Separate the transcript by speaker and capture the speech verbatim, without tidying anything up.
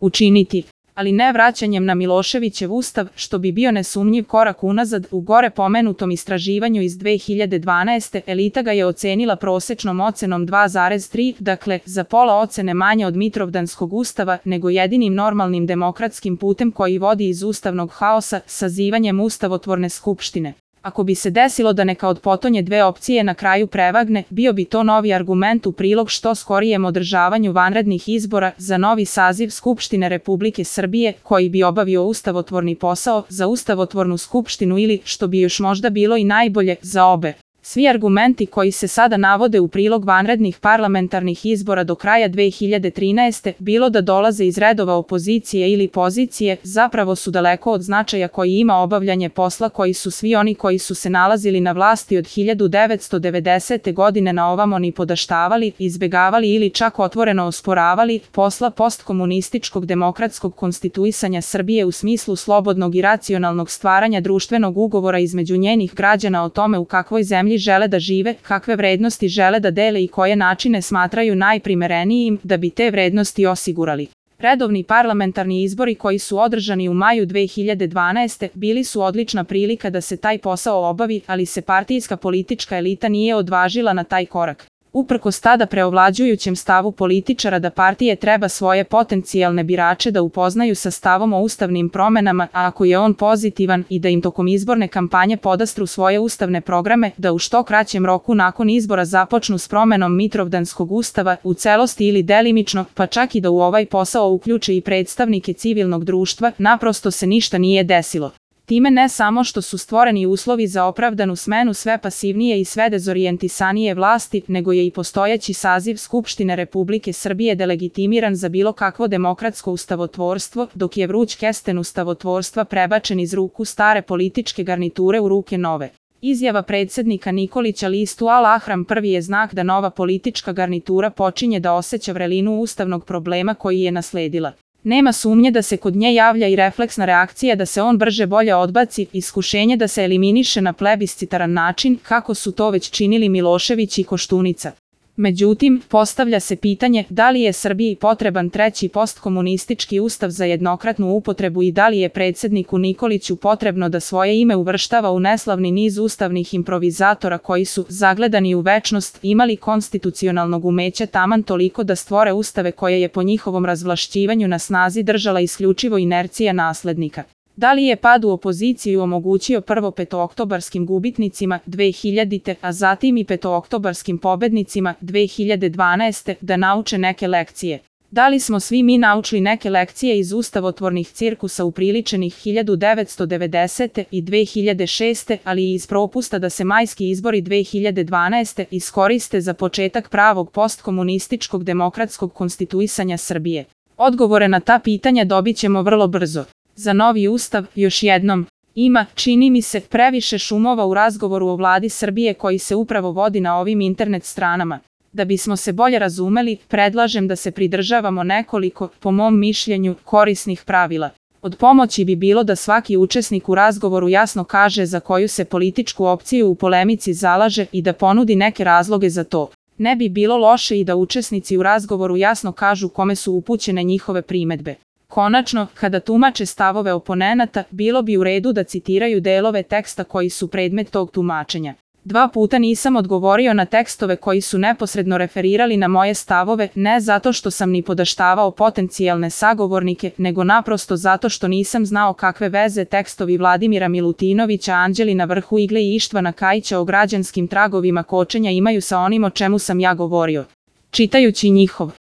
Speaker 1: učiniti, ali ne vraćanjem na Miloševićev ustav, što bi bio nesumnjiv korak unazad. U gore pomenutom istraživanju iz dve hiljade dvanaeste. elita ga je ocenila prosečnom ocenom dva zarez tri, dakle, za pola ocene manje od Mitrovdanskog ustava, nego jedinim normalnim demokratskim putem koji vodi iz ustavnog haosa, sazivanjem ustavotvorne skupštine. Ako bi se desilo da neka od potonje dve opcije na kraju prevagne, bio bi to novi argument u prilog što skorijem održavanju vanrednih izbora za novi saziv Skupštine Republike Srbije, koji bi obavio ustavotvorni posao za ustavotvornu skupštinu ili, što bi još možda bilo i najbolje, za obe. Svi argumenti koji se sada navode u prilog vanrednih parlamentarnih izbora do kraja dve hiljade trinaeste. bilo da dolaze iz redova opozicije ili pozicije, zapravo su daleko od značaja koji ima obavljanje posla koji su svi oni koji su se nalazili na vlasti od hiljadu devetsto devedesete. godine na ovamo ni podaštavali, izbegavali ili čak otvoreno osporavali, posla postkomunističkog demokratskog konstituisanja Srbije u smislu slobodnog i racionalnog stvaranja društvenog ugovora između njenih građana o tome u kakvoj zemlji žele da žive, kakve vrednosti žele da dele i koje načine smatraju najprimerenijim da bi te vrednosti osigurali. Redovni parlamentarni izbori koji su održani u maju dve hiljade dvanaeste. bili su odlična prilika da se taj posao obavi, ali se partijska politička elita nije odvažila na taj korak. Uprkos tada preovlađujućem stavu političara da partije treba svoje potencijalne birače da upoznaju sa stavom o ustavnim promenama, a ako je on pozitivan, i da im tokom izborne kampanje podastru svoje ustavne programe, da u što kraćem roku nakon izbora započnu s promenom Mitrovdanskog ustava, u celosti ili delimično, pa čak i da u ovaj posao uključe i predstavnike civilnog društva, naprosto se ništa nije desilo. Time ne samo što su stvoreni uslovi za opravdanu smenu sve pasivnije i sve dezorijentisanije vlasti, nego je i postojeći saziv Skupštine Republike Srbije delegitimiran za bilo kakvo demokratsko ustavotvorstvo, dok je vruć kesten ustavotvorstva prebačen iz ruku stare političke garniture u ruke nove. Izjava predsjednika Nikolića listu Al Ahram prvi je znak da nova politička garnitura počinje da osjeća vrelinu ustavnog problema koji je nasledila. Nema sumnje da se kod nje javlja i refleksna reakcija da se on brže bolje odbaci, iskušenje da se eliminiše na plebiscitaran način, kako su to već činili Milošević i Koštunica. Međutim, postavlja se pitanje da li je Srbiji potreban treći postkomunistički ustav za jednokratnu upotrebu i da li je predsjedniku Nikoliću potrebno da svoje ime uvrštava u neslavni niz ustavnih improvizatora koji su, zagledani u večnost, imali konstitucionalnog umeća taman toliko da stvore ustave koje je po njihovom razvlašćivanju na snazi držala isključivo inercija naslednika. Da li je pad u opoziciju omogućio prvo petooktobarskim gubitnicima dve hiljadite. a zatim i petooktobarskim pobednicima dve hiljade dvanaeste. da nauče neke lekcije? Da li smo svi mi naučili neke lekcije iz ustavotvornih cirkusa upriličenih hiljadu devetsto devedesete. i dve hiljade šeste. ali i iz propusta da se majski izbori dve hiljade dvanaeste. iskoriste za početak pravog postkomunističkog demokratskog konstituisanja Srbije? Odgovore na ta pitanja dobit ćemo vrlo brzo. Za novi ustav, još jednom, ima, čini mi se, previše šumova u razgovoru o vladi Srbije koji se upravo vodi na ovim internet stranama. Da bismo se bolje razumeli, predlažem da se pridržavamo nekoliko, po mom mišljenju, korisnih pravila. Od pomoći bi bilo da svaki učesnik u razgovoru jasno kaže za koju se političku opciju u polemici zalaže i da ponudi neke razloge za to. Ne bi bilo loše i da učesnici u razgovoru jasno kažu kome su upućene njihove primedbe. Konačno, kada tumače stavove oponenata, bilo bi u redu da citiraju delove teksta koji su predmet tog tumačenja. Dva puta nisam odgovorio na tekstove koji su neposredno referirali na moje stavove, ne zato što sam ni podaštavao potencijalne sagovornike, nego naprosto zato što nisam znao kakve veze tekstovi Vladimira Milutinovića, Anđelina Vrhu Igle i Ištvana Kajića o građanskim tragovima kočenja imaju sa onim o čemu sam ja govorio. Čitajući njihov